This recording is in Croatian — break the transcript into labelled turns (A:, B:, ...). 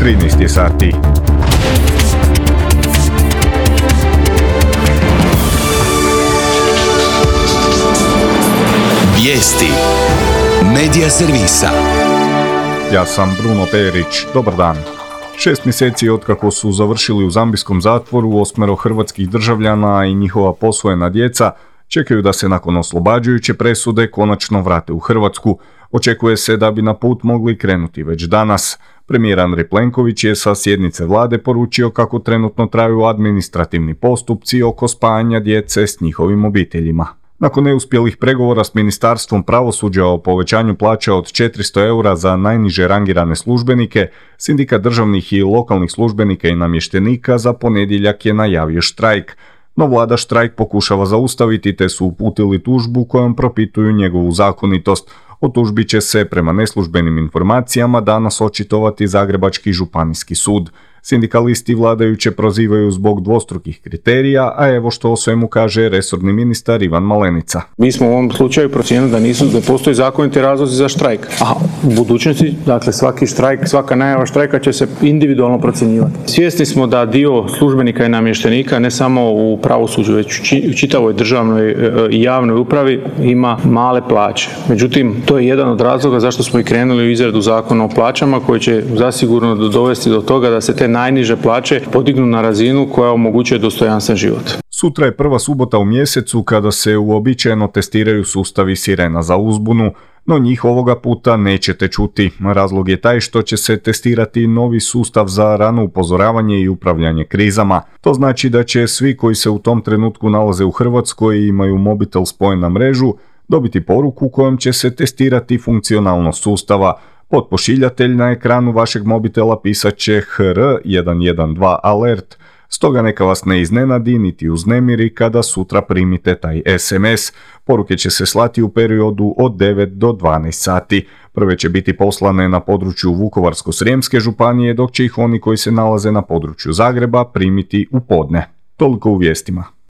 A: 13 sati.
B: Vijesti Medija servisa.
A: Ja sam Bruno Perić, dobar dan. 6 mjeseci otkako su završili u zambijskom zatvoru 8 hrvatskih državljana i njihova posvojena djeca čekaju da se nakon oslobađajuće presude konačno vrate u Hrvatsku. Očekuje se da bi na put mogli krenuti već danas. Premijer Andrej Plenković je sa sjednice vlade poručio kako trenutno traju administrativni postupci oko spajanja djece s njihovim obiteljima. Nakon neuspjelih pregovora s Ministarstvom pravosuđa o povećanju plaća od 400 eura za najniže rangirane službenike, Sindikat državnih i lokalnih službenika i namještenika za ponedjeljak je najavio štrajk. No vlada štrajk pokušava zaustaviti te su uputili tužbu kojom propituju njegovu zakonitost. O tužbi će se, prema neslužbenim informacijama, danas očitovati Zagrebački županijski sud. Sindikalisti vladajuće prozivaju zbog dvostrukih kriterija, a evo što o svemu kaže resorni ministar Ivan Malenica.
C: Mi smo u ovom slučaju procijenili da postoji zakoniti razlozi za štrajk. A u budućnosti, dakle, svaki štrajk, svaka najava štrajka će se individualno procjenjivati. Svjesni smo da dio službenika i namještenika, ne samo u pravosuđu, već u čitavoj državnoj i javnoj upravi, ima male plaće. Međutim, to je jedan od razloga zašto smo i krenuli u izradu zakona o plaćama, koji će zasigurno dovesti do toga da se te najniže plaće podignu na razinu koja omogućuje dostojanstven život.
A: Sutra je prva subota u mjesecu kada se uobičajeno testiraju sustavi sirena za uzbunu, no njih ovoga puta nećete čuti. Razlog je taj što će se testirati novi sustav za rano upozoravanje i upravljanje krizama. To znači da će svi koji se u tom trenutku nalaze u Hrvatskoj i imaju mobitel spojen na mrežu dobiti poruku kojom će se testirati funkcionalnost sustava. Potpošiljatelj na ekranu vašeg mobitela pisat će HR 112 alert, stoga neka vas ne iznenadi niti uznemiri kada sutra primite taj SMS. Poruke će se slati u periodu od 9 do 12 sati. Prve će biti poslane na području Vukovarsko-srijemske županije, dok će ih oni koji se nalaze na području Zagreba primiti u podne. Toliko u vijestima.